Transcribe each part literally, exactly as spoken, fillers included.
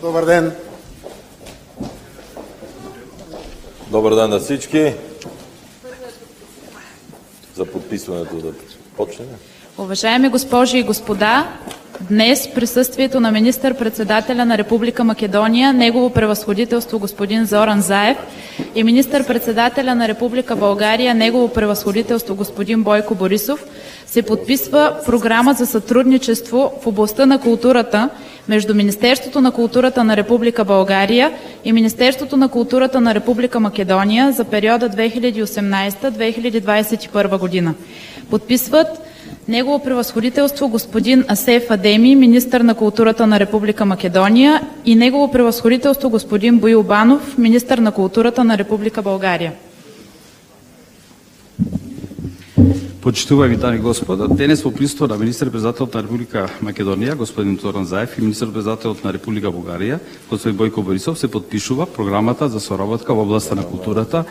Добар ден. Добар ден на всички. За подписването да почнем. Уважаеми госпожи и господа, днес присъствието на министър-председателя на Република Македония, Негово превъзходителство господин Зоран Заев и министър-председателя на Република България, Негово превъзходителство господин Бойко Борисов, се подписва програма за сътрудничество в областта на културата между Министерството на културата на Република България и Министерството на културата на Република Македония за периода две хиляди и осемнадесета до две хиляди двадесет и първа година. Подписват Негово превъзходителство господин Асеф Адеми, министър на културата на Република Македония, и Негово превъзходителство господин Боил Банов, министър на културата на Република България. Почитуваеми дами и господа, денес во присуство на министер-председателот на Република Македонија, господин Зоран Заев, и министер-председателот на Република Бугарија, господин Бойко Борисов, се подпишува програмата за соработка во областта на културата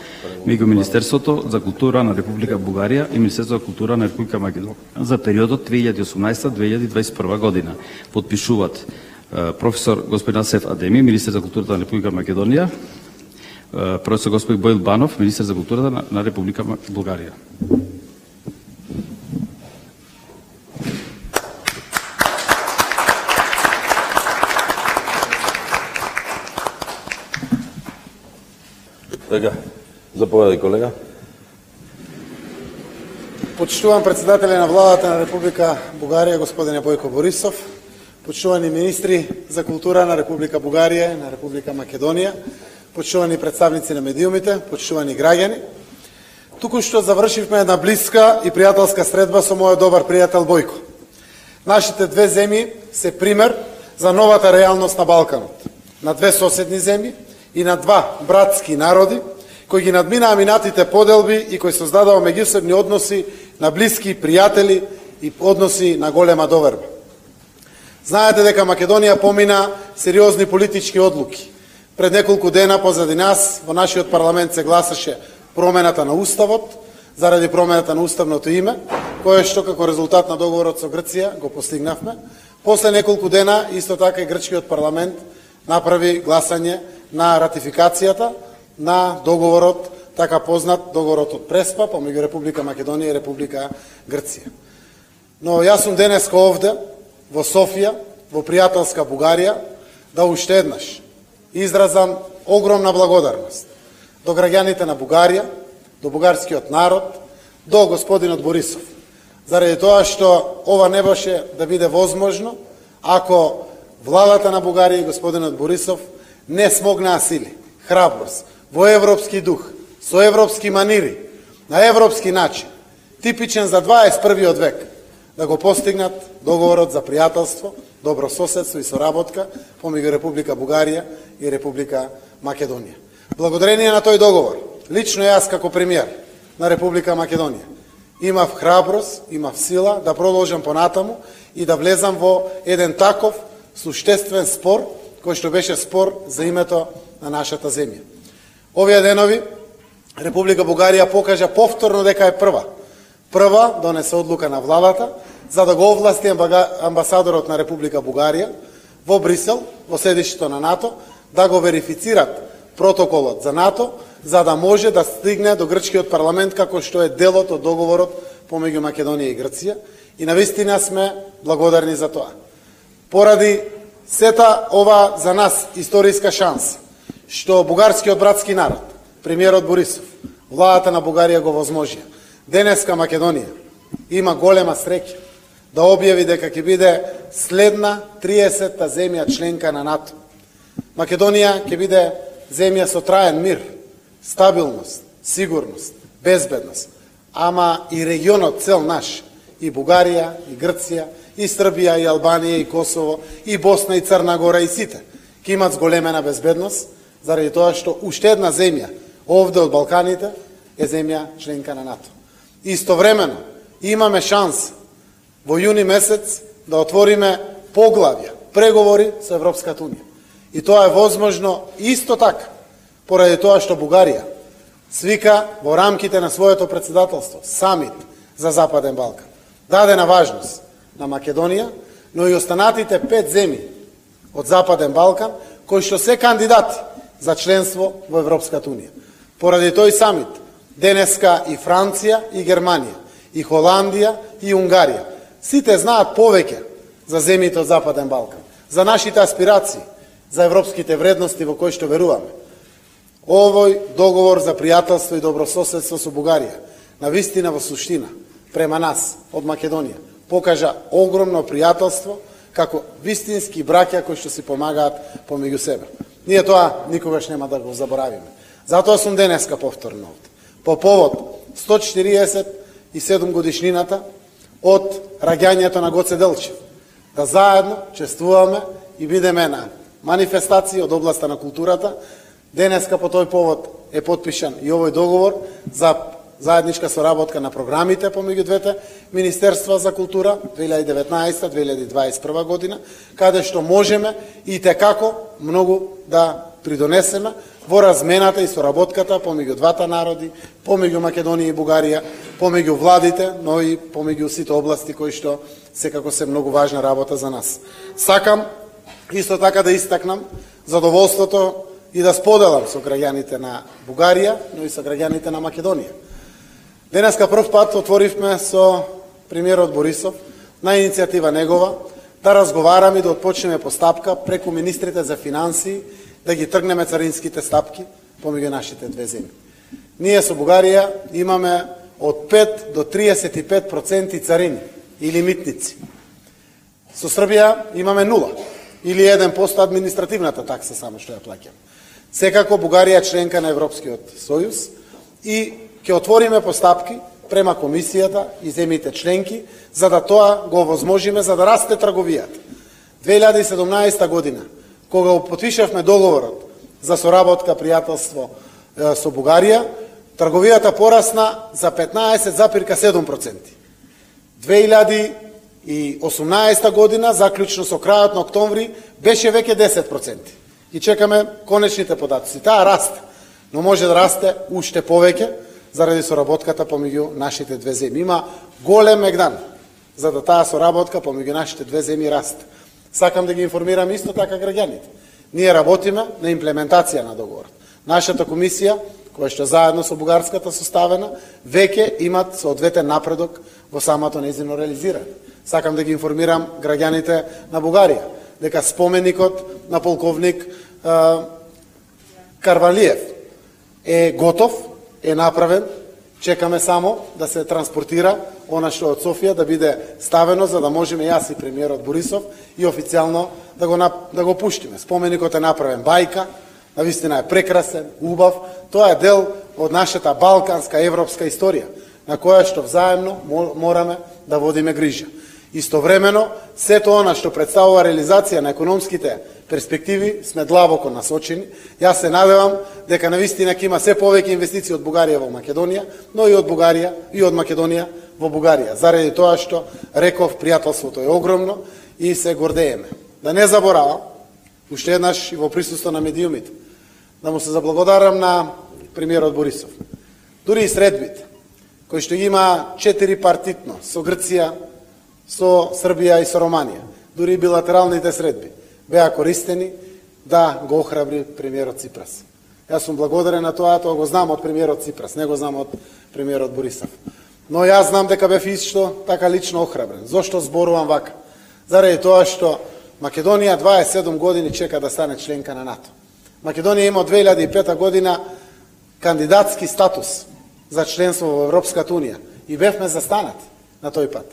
меѓу Министерството за култура на Република Бугарија и Министерството за култура на Република Македонија за периодот две илјади и осумнаесета до две илјади двадесет и прва година. Подпишуваат професор господин Асеф Адеми, министер за културата на Република Македонија, професор господин Боил Банов, министер за културата на Република Бугарија. Така, заповедај, колега. Почитувам председателя на владата на Република Бугарија, господине Бойко Борисов, почитувани министри за култура на Република Бугарија и на Република Македонија, почитувани представници на медиумите, почитувани граѓани. Туку што завршивме една блиска и пријателска средба со мојот добар пријател Бојко. Нашите две земји се пример за новата реалност на Балканот, на две соседни земји и на два братски народи, кои ги надминаа минатите поделби и кои создадаа меѓусебни односи на блиски пријатели и односи на голема доверба. Знаете дека Македонија помина сериозни политички одлуки. Пред неколку дена позади нас во нашиот парламент се гласаше промената на уставот, заради промената на уставното име, кое што како резултат на договорот со Грција го постигнавме. После неколку дена исто така и грчкиот парламент направи гласање на ратификацијата на договорот, така познат договорот од Преспа помеѓу Република Македонија и Република Грција. Но јас сум денеска овде, во Софија, во пријателска Бугарија, да уште еднаш изразам огромна благодарност до граѓаните на Бугарија, до бугарскиот народ, до господинот Борисов, заради тоа што ова не беше да биде возможно ако владата на Бугарија и господинот Борисов не смогнаа сили, храброст, во европски дух, со европски манири, на европски начин, типичен за дваесет и првиот век, да го постигнат договорот за пријателство, добро соседство и соработка помеѓу Република Бугарија и Република Македонија. Благодарение на тој договор, лично јас како премиер на Република Македонија, имав храброст, имав сила да продолжам понатаму и да влезам во еден таков суштествен спор, кој што беше спор за името на нашата земја. Овие денови Република Бугарија покажа повторно дека е прва. Прва донесе одлука на владата за да го овласти амбасадорот на Република Бугарија во Брисел, во седишто на НАТО, да го верифицират протоколот за НАТО, за да може да стигне до грчкиот парламент како што е делот од договорот помеѓу Македонија и Грција, и навистина сме благодарни за тоа. Поради сета ова за нас историска шанса, што бугарскиот братски народ, премиерот Борисов, владата на Бугарија го возможија. Денеска Македонија има голема среќа да објави дека ќе биде следна триесетта земја членка на НАТО. Македонија ќе биде земја со траен мир, стабилност, сигурност, безбедност, ама и регионот цел наш, и Бугарија, и Грција, и Србија, и Албанија, и Косово, и Босна, и Црна Гора, и сите, ќе имат зголемена безбедност, заради тоа што уште една земја овде од Балканите е земја членка на НАТО. Истовремено имаме шанс во јуни месец да отвориме поглавја, преговори со Европската унија. И тоа е возможно исто така, поради тоа што Бугарија свика во рамките на своето председателство самит за Западен Балкан. Дадена важност на Македонија, но и останатите пет земји од Западен Балкан, кои што се кандидати за членство во Европската унија. Поради тој самит, денеска и Франција, и Германија, и Холандија, и Унгарија, сите знаат повеќе за земјите од Западен Балкан, за нашите аспирации, за европските вредности во кои што веруваме. Овој договор за пријателство и добрососедство со Бугарија, на вистина во суштина, према нас, од Македонија, покажа огромно пријателство, како вистински браќа кои што си помагаат помеѓу себе. Ние тоа никогаш нема да го заборавиме. Затоа сум денеска повторно овде. По повод сто четириесет и седум годишнината од раѓањето на Гоце Делчев, да заедно чествуваме и бидеме на манифестации од областа на културата. Денеска по тој повод е потпишан и овој договор за заедничка соработка на програмите помеѓу двете Министерства за култура две илјади и деветнаесета - две илјади и дваесет и прва година, каде што можеме и текако многу да придонесеме во размената и соработката помеѓу двата народи, помеѓу Македонија и Бугарија, помеѓу владите, но и помеѓу сите области кои што секако се многу важна работа за нас. Сакам исто така да истакнам задоволството и да споделам со граѓаните на Бугарија, но и со граѓаните на Македонија. Денеска прв пат отворивме со премиерот Борисов на иницијатива негова да разговараме и да отпочнеме постапка преку министрите за финансии да ги тргнеме царинските стапки помеѓу нашите две земји. Ние со Бугарија имаме од пет до триесет и пет проценти царини или митници. Со Србија имаме нула или еден процент административната такса само што ја плаќаме. Секако Бугарија е членка на Европскиот сојуз и ќе отвориме постапки према комисијата и земјите членки за да тоа го овозможиме за да расте трговијата. две илјади и седумнаесета година, кога го потпишавме договорот за соработка пријателство со Бугарија, трговијата порасна за петнаесет зарез седум проценти. две илјади и осумнаесета година, заклучно со крајот на октомври, беше веќе десет проценти. И чекаме конечните податоци. Таа расте, но може да расте уште повеќе заради соработката помеѓу нашите две земји. Има голем мегдан за да таа соработка помеѓу нашите две земји расте. Сакам да ги информирам исто така граѓаните. Ние работиме на имплементација на договорот. Нашата комисија, која што заедно со бугарската составена, веќе имат соодветен напредок во самото нејзино реализирање. Сакам да ги информирам граѓаните на Бугарија дека споменикот на полковник е, Карвалиев е готов, е направен, чекаме само да се транспортира она што од Софија да биде ставено за да можеме јас и премиерот Борисов и официјално да го да го пуштиме. Споменикот е направен бајка, навистина е прекрасен, убав, тоа е дел од нашата балканска европска историја на која што взаемно мораме да водиме грижа. Истовремено, сето она што представува реализација на економските перспективи сме длабоко насочени. Јас се надевам дека навистина ќе има се повеќе инвестиции од Бугарија во Македонија, но и од Бугарија и од Македонија во Бугарија. Заради тоа што реков пријателството е огромно и се гордееме. Да не заборавам, уште еднаш и во присуство на медиумите, да му се заблагодарам на премиерот Борисов. Дури и средбите, кои што има четири партитно со Грција, со Србија и со Романија, дури и билатералните средби, беа користени да го охрабри премиерот Ципрас. Јас сум благодарен на тоа, тоа го знам од премиерот Ципрас, не го знам од премиерот Борисов. Но јас знам дека бев исто така лично охрабрен. Зошто зборувам вака? Заради тоа што Македонија дваесет и седум години чека да стане членка на НАТО. Македонија има од две илјади и пета година кандидатски статус за членство во Европската унија и бевме застанати на тој пат.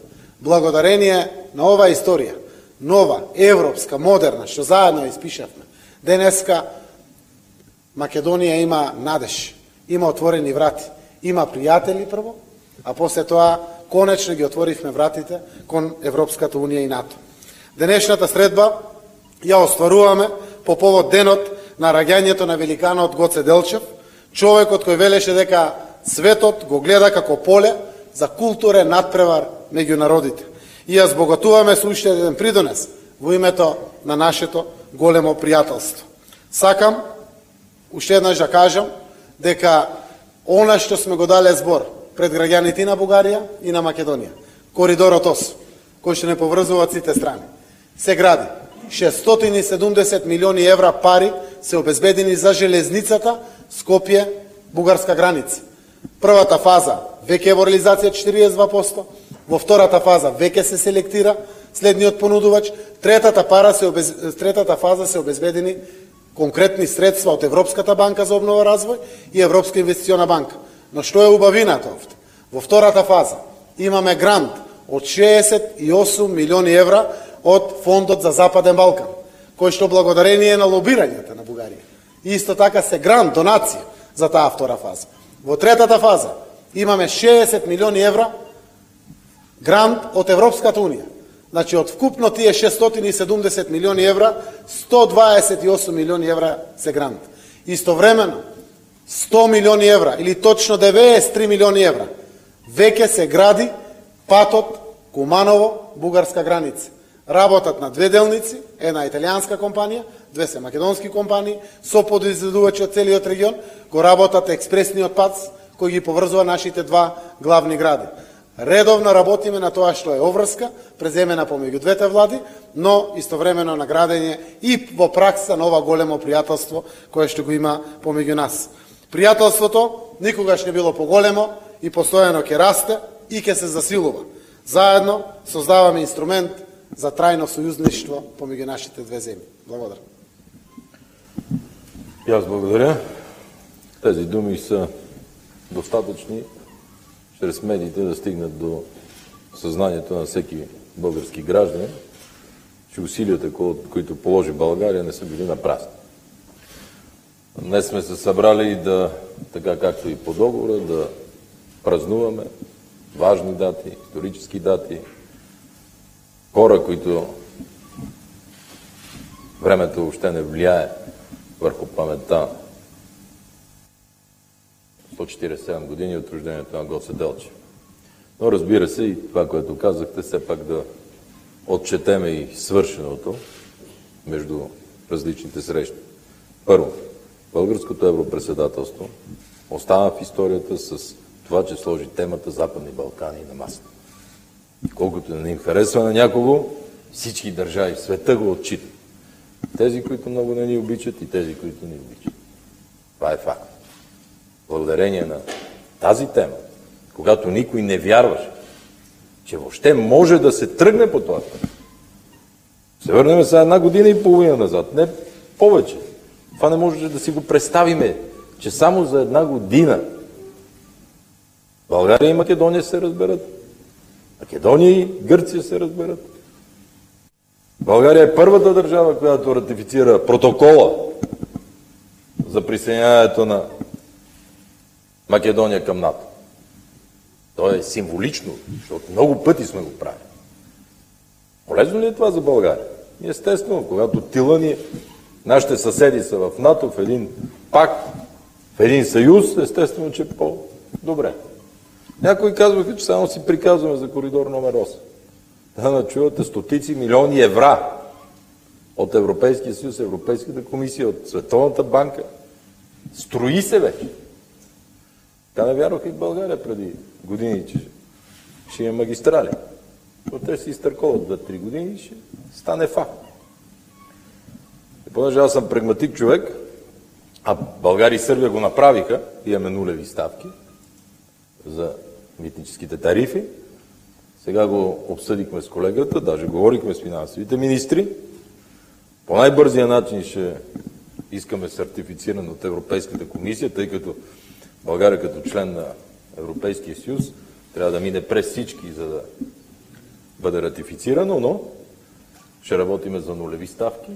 Благодарение на оваа историја, нова, европска, модерна, што заедно испишавме, денеска Македонија има надеж, има отворени врати, има пријатели прво, а после тоа конечно ги отворивме вратите кон Европската унија и НАТО. Денешната средба ја остваруваме по повод денот на раѓањето на великанот Гоце Делчев, човекот кој велеше дека светот го гледа како поле за културен надпревар меѓу народите. И ја збогатуваме со уште еден придонес во името на нашето големо пријателство. Сакам уште еднаш да кажам дека она што сме го дале збор пред граѓаните на Бугарија и на Македонија, коридорот осум, кој што не поврзува сите страни, се гради. шестстотини и седумдесет милиони евра пари се обезбедени за железницата Скопје-бугарска граница. Првата фаза веќе е во реализација четириесет и два проценти, во втората фаза веќе се селектира следниот понудувач, третата пара се обез... третата фаза се обезбедени конкретни средства од Европската банка за обнова и развој и Европска инвестициона банка. Но што е убавината овде? Во втората фаза имаме грант од шеесет и осум милиони евра од Фондот за Западен Балкан, кој што благодарение на лобирањето на Бугарија. И исто така се грант, донација за таа втора фаза. Во третата фаза имаме шеесет милиони евра грант од Европската Унија. Значи, од вкупно тие шестстотини и седумдесет милиони евра, сто дваесет и осум милиони евра се грант. Истовремено, сто милиони евра, или точно деветдесет и три милиони евра, веќе се гради патот Куманово-бугарска граница. Работат на две делници, една италијанска компанија, две се македонски компании, со подизvedувачи од целиот регион, го работат експресниот пат кој ги поврзува нашите два главни гради. Редовно работиме на тоа што е обврска, преземена помеѓу двете влади, но истовремено на градење и во пракса на ова големо пријателство кое што го има помеѓу нас. Пријателството никогаш не било поголемо и постојано ќе расте и ќе се засилува. Заедно создаваме инструмент за трајно сојузништво помеѓу нашите две земји. Благодарам. И аз благодаря. Тези думи са достатъчни чрез медиите да стигнат до съзнанието на всеки български гражданин, че усилията, които положи България, не са били напразни. Днес сме се събрали да, така както и по договора, да празнуваме важни дати, исторически дати, хора, които времето въобще не влияе върху паметта. сто четиридесет и седем години от рождението на Гоце Делчев. Но разбира се и това, което казахте, все пак да отчетеме и свършеното между различните срещи. Първо, българското европредседателство остана в историята с това, че сложи темата Западни Балкани на масата. Колкото не им харесва на някого, всички държави в света го отчитат. Тези, които много не ни обичат и тези, които ни обичат. Това е факт. Благодарение на тази тема, когато никой не вярваше, че въобще може да се тръгне по това път. Се върнем сега една година и половина назад, не повече. Това не може да си го представиме, че само за една година България и Македония се разберат, Македония и Гърция се разберат. България е първата държава, която ратифицира протокола за присъединяването на Македония към НАТО. То е символично, защото много пъти сме го правили. Полезно ли е това за България? Естествено, когато тила ни, нашите съседи са в НАТО, в един пакт, в един съюз, естествено, че е по-добре. Някои казваха, че само си приказваме за коридор номер осем. Да начувате стотици милиони евра от Европейския съюз, Европейската комисия, от Световната банка. Строи се вече. Така не вярваха и в България преди години, че ще има магистрали. Но те си изтърковат две-три години и ще стане факт. И понеже аз съм прагматик човек, а България и Сърбия го направиха, имаме нулеви ставки за митническите тарифи. Сега го обсъдихме с колегата, даже говорихме с финансовите министри. По най-бързия начин ще искаме сертифициране от Европейската комисия, тъй като България като член на Европейския съюз трябва да мине през всички, за да бъде ратифицирано, но ще работиме за нулеви ставки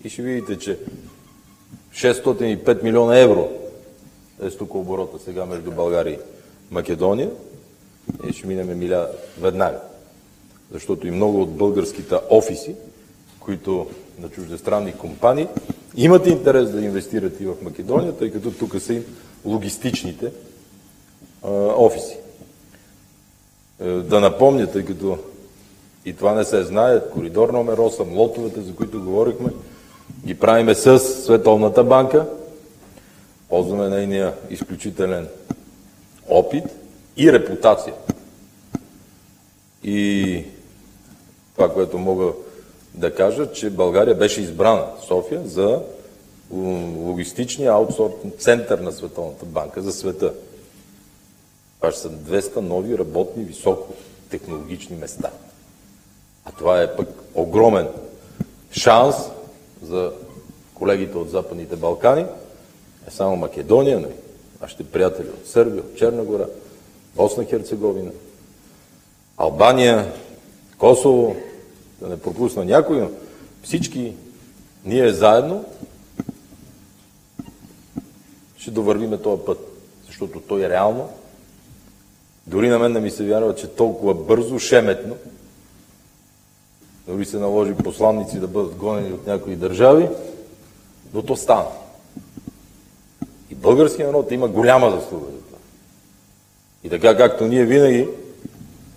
и ще видите, че шестстотин и пет милиона евро е стука оборота сега между България и Македония и ще минеме миля веднага. Защото и много от българските офиси, които на чуждестранни компании, имат интерес да инвестират и в Македония, тъй като тук са им логистичните а, офиси. Е, да напомня, тъй като и това не се знае, коридор номер осем, лотовете, за които говорихме, ги правиме с Световната банка, ползваме нейния изключителен опит и репутация. И това, което мога да кажа, че България беше избрана, София, за логистичния аутсорсинг център на Световната банка за света. Това ще са двеста нови работни високотехнологични места. А това е пък огромен шанс за колегите от Западните Балкани, не само Македония, но и нашите приятели от Сърбия, от Черна гора, Босна Херцеговина, Албания, Косово, да не пропусна някой, но всички ние заедно ще довървиме този път, защото той е реално. Дори на мен не ми се вярва, че толкова бързо, шеметно, дори се наложи посланници да бъдат гонени от някои държави, но то стана. И българският народ има голяма заслуга за това. И така както ние винаги,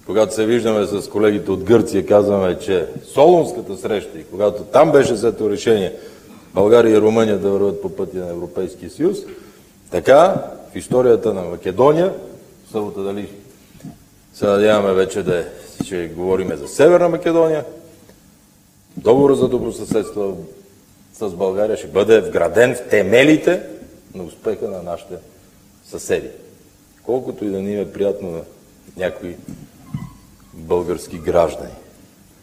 когато се виждаме с колегите от Гърция, казваме, че Солунската среща и когато там беше взето решение България и Румъния да върват по пътя на Европейския съюз, така в историята на Македония, събота дали се надяваме вече да ще говорим за Северна Македония, договор за добросъседство с България ще бъде вграден в темелите на успеха на нашите съседи. Колкото и да ни е приятно на някои български граждани.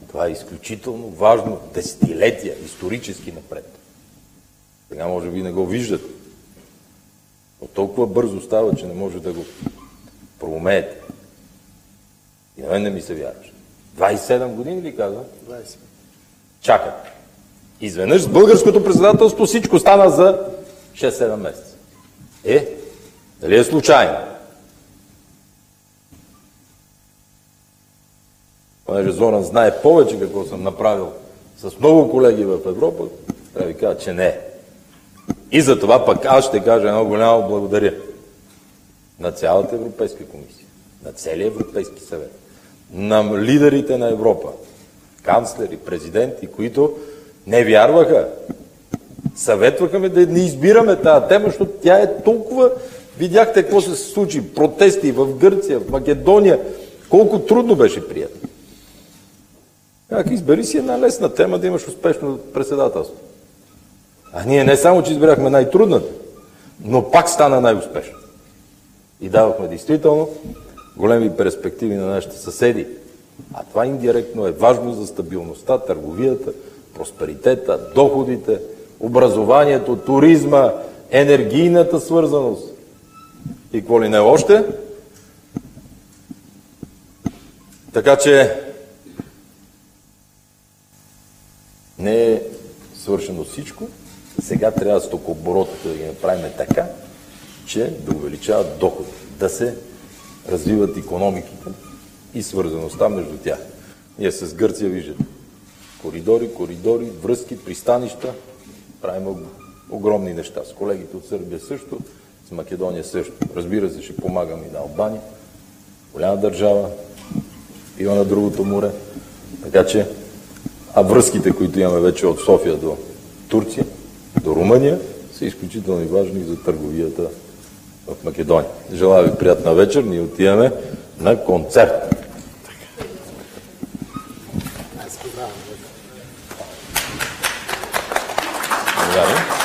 Това е изключително важно десетилетия, исторически напред. Сега може би не го виждате. Но толкова бързо става, че не може да го проумеете. И на мен не ми се вярваш. двайсет и седем години ли каза? двайсет. Чакат. Изведнъж с българското председателство всичко стана за шест-седем месеца. Е, дали е случайно? Понеже Зоран знае повече какво съм направил с много колеги в Европа, трябва да ви кажа, че не е. И за това пък аз ще кажа едно голямо благодаря на цялата Европейска комисия, на целия Европейски съвет, на лидерите на Европа, канцлери, президенти, които не вярваха, съветваха ме да не избираме тази тема, защото тя е толкова... Видяхте какво се случи, протести в Гърция, в Македония, колко трудно беше прието. Как избери си една лесна тема да имаш успешно председателство. А ние не само, че избирахме най-трудната, но пак стана най-успешно. И давахме действително големи перспективи на нашите съседи. А това индиректно е важно за стабилността, търговията, просперитета, доходите, образованието, туризма, енергийната свързаност. И какво ли не още? Така че не е свършено всичко. Сега трябва стокооборотите да ги направим така, че да увеличават доходи, да се развиват икономиките и свързаността между тях. Ние с Гърция виждате коридори, коридори, връзки, пристанища, правим огромни неща. С колегите от Сърбия също, с Македония също. Разбира се, ще помагам и на Албания, голяма държава, има на другото море. Така че, а връзките, които имаме вече от София до Турция, до Румъния, са изключително важни за търговията в Македония. Желая ви приятна вечер, ние отиваме на концерт. Благодаря.